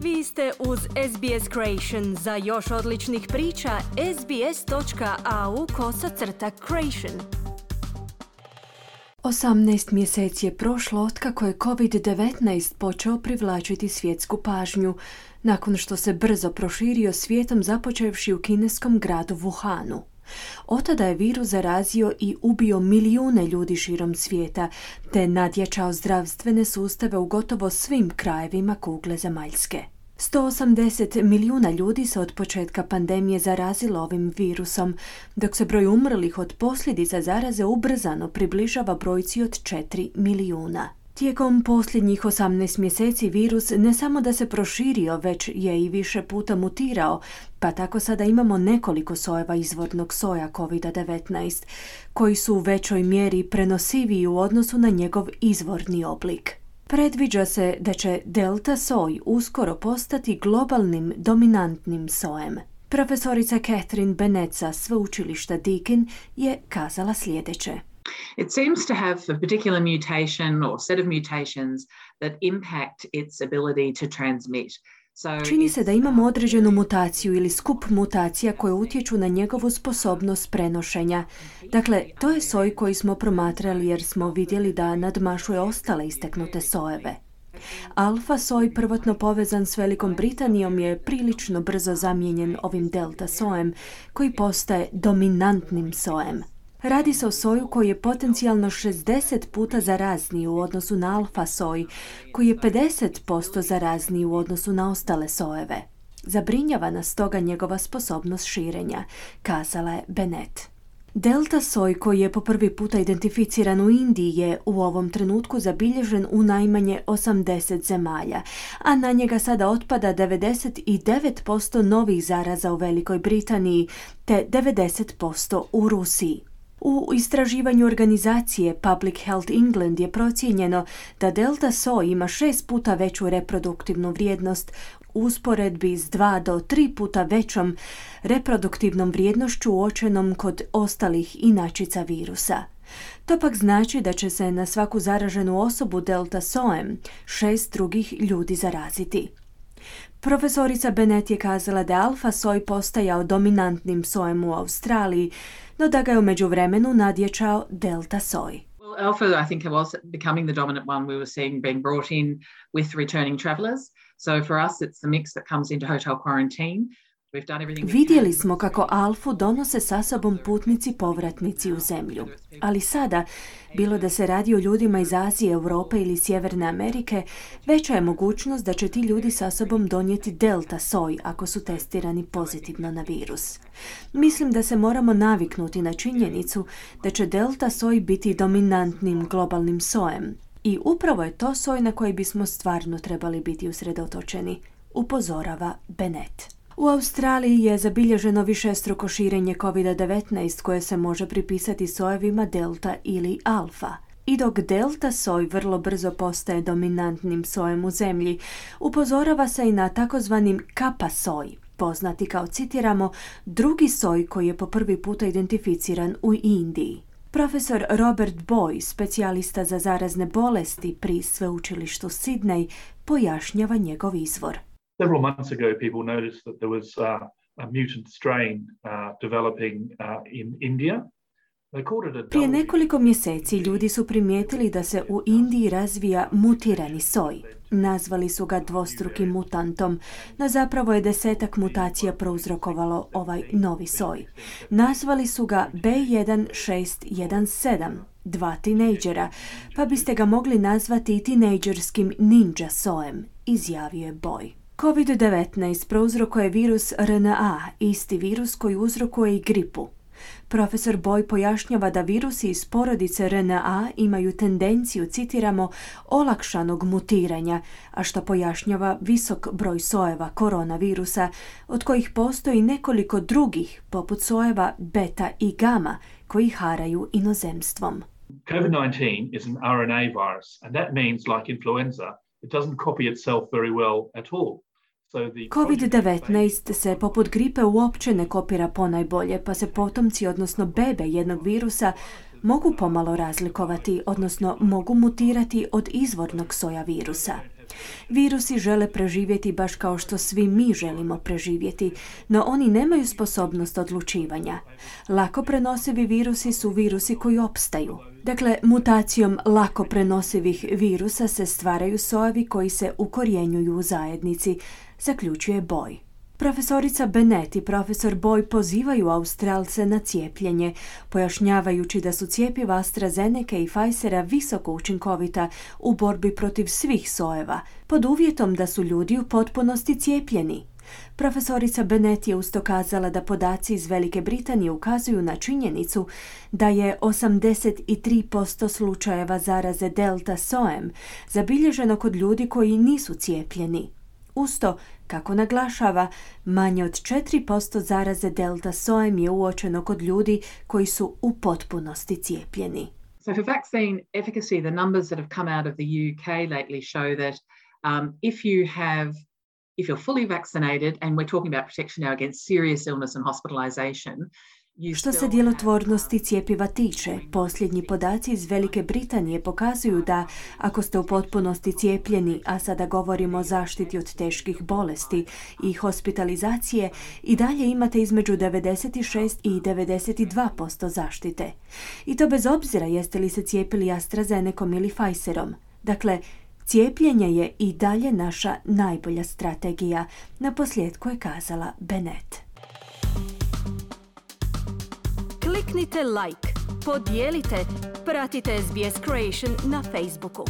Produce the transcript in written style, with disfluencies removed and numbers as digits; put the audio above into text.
Vi ste uz SBS Creation. Za još odličnih priča, sbs.au/creation. 18 mjeseci je prošlo otkako je COVID-19 počeo privlačiti svjetsku pažnju, nakon što se brzo proširio svijetom započevši u kineskom gradu Wuhanu. Otada je virus zarazio i ubio milijune ljudi širom svijeta, te nadjačao zdravstvene sustave u gotovo svim krajevima kugle zemaljske. 180 milijuna ljudi se od početka pandemije zarazilo ovim virusom, dok se broj umrlih od posljedica zaraze ubrzano približava brojci od 4 milijuna. Tijekom posljednjih 18 mjeseci virus ne samo da se proširio, već je i više puta mutirao, pa tako sada imamo nekoliko sojeva izvornog soja COVID-19, koji su u većoj mjeri prenosiviji u odnosu na njegov izvorni oblik. Predviđa se da će delta soj uskoro postati globalnim dominantnim sojem. Profesorica Catherine Bennett sa sveučilišta Deakin je kazala sljedeće. It seems to have a particular mutation or set of mutations that impact its ability to transmit. Čini se da imamo određenu mutaciju ili skup mutacija koje utječu na njegovu sposobnost prenošenja. Dakle, to je soj koji smo promatrali jer smo vidjeli da nadmašuje ostale istaknute sojeve. Alfa soj, prvotno povezan s Velikom Britanijom, je prilično brzo zamijenjen ovim delta sojem koji postaje dominantnim sojem. Radi se o soju koji je potencijalno 60 puta zarazniji u odnosu na alfa soj, koji je 50% zarazniji u odnosu na ostale sojeve. Zabrinjava nas stoga njegova sposobnost širenja, kazala je Bennett. Delta soj koji je po prvi puta identificiran u Indiji je u ovom trenutku zabilježen u najmanje 80 zemalja, a na njega sada otpada 99% novih zaraza u Velikoj Britaniji te 90% u Rusiji. U istraživanju organizacije Public Health England je procijenjeno da delta soj ima 6 puta veću reproduktivnu vrijednost u usporedbi s 2 do 3 puta većom reproduktivnom vrijednošću uočenom kod ostalih inačica virusa. To pak znači da će se na svaku zaraženu osobu delta sojem 6 drugih ljudi zaraziti. Profesorica Bennett je kazala da je alfa soj postajao dominantnim sojem u Australiji, no da ga je u međuvremenu nadjačao delta soj. Well, alpha, I think, was becoming the dominant one we were seeing being brought in with returning travellers. So for us, it's the mix that comes into hotel quarantine. Vidjeli smo kako alfu donose sa sobom putnici povratnici u zemlju. Ali sada, bilo da se radi o ljudima iz Azije, Europe ili Sjeverne Amerike, veća je mogućnost da će ti ljudi sa sobom donijeti delta soj ako su testirani pozitivno na virus. Mislim da se moramo naviknuti na činjenicu da će delta soj biti dominantnim globalnim sojem. I upravo je to soj na koji bismo stvarno trebali biti usredotočeni, upozorava Bennett. U Australiji je zabilježeno višestruko širenje COVID-19 koje se može pripisati sojevima delta ili alfa. I dok delta soj vrlo brzo postaje dominantnim sojem u zemlji, upozorava se i na takozvanim kappa soj, poznati kao, citiramo, drugi soj koji je po prvi puta identificiran u Indiji. Profesor Robert Boy, specijalista za zarazne bolesti pri sveučilištu Sydney, pojašnjava njegov izvor. Several months ago, people noticed that there was a mutant strain developing in India. Prije nekoliko mjeseci ljudi su primijetili da se u Indiji razvija mutirani soj. Nazvali su ga dvostrukim mutantom, no zapravo je 10 mutacija prouzrokovalo ovaj novi soj. Nazvali su ga B1617, 2 tinejdžera, pa biste ga mogli nazvati i tinejdžerskim ninja sojem, izjavio je Boy. COVID-19 prouzrokuje virus RNA, isti virus koji uzrokuje i gripu. Profesor Boy pojašnjava da virusi iz porodice RNA imaju tendenciju, citiramo, olakšanog mutiranja, a što pojašnjava visok broj sojeva koronavirusa, od kojih postoji nekoliko drugih, poput sojeva beta i gama, koji haraju inozemstvom. COVID-19 is an RNA virus, and that means, like influenza, it doesn't copy itself very well at all. COVID-19 se poput gripe uopće ne kopira ponajbolje, pa se potomci, odnosno bebe jednog virusa, mogu pomalo razlikovati, odnosno mogu mutirati od izvornog soja virusa. Virusi žele preživjeti baš kao što svi mi želimo preživjeti, no oni nemaju sposobnost odlučivanja. Lako prenosivi virusi su virusi koji opstaju. Dakle, mutacijom lako prenosivih virusa se stvaraju sojevi koji se ukorjenjuju u zajednici, zaključuje Boy. Profesorica Bennett i profesor Boy pozivaju Australce na cijepljenje, pojašnjavajući da su cjepiva AstraZeneca i Pfizera visoko učinkovita u borbi protiv svih sojeva, pod uvjetom da su ljudi u potpunosti cijepljeni. Profesorica Bennett je usto kazala da podaci iz Velike Britanije ukazuju na činjenicu da je 83% slučajeva zaraze delta sojem zabilježeno kod ljudi koji nisu cijepljeni. Usto, kako naglašava, manje od 4% zaraze delta sojem je uočeno kod ljudi koji su u potpunosti cijepljeni. So for vaccine efficacy, the numbers that have come out of the UK lately show that if you're fully vaccinated, and we're talking about protection now against serious illness and hospitalization. Što se djelotvornosti cjepiva tiče, posljednji podaci iz Velike Britanije pokazuju da ako ste u potpunosti cijepljeni, a sada govorimo o zaštiti od teških bolesti i hospitalizacije, i dalje imate između 96 i 92% zaštite. I to bez obzira jeste li se cijepili AstraZenecom ili Pfizerom. Dakle, cijepljenje je i dalje naša najbolja strategija, naposljetku je kazala Bennett. Kliknite like, podijelite, pratite SBS Creation na Facebooku.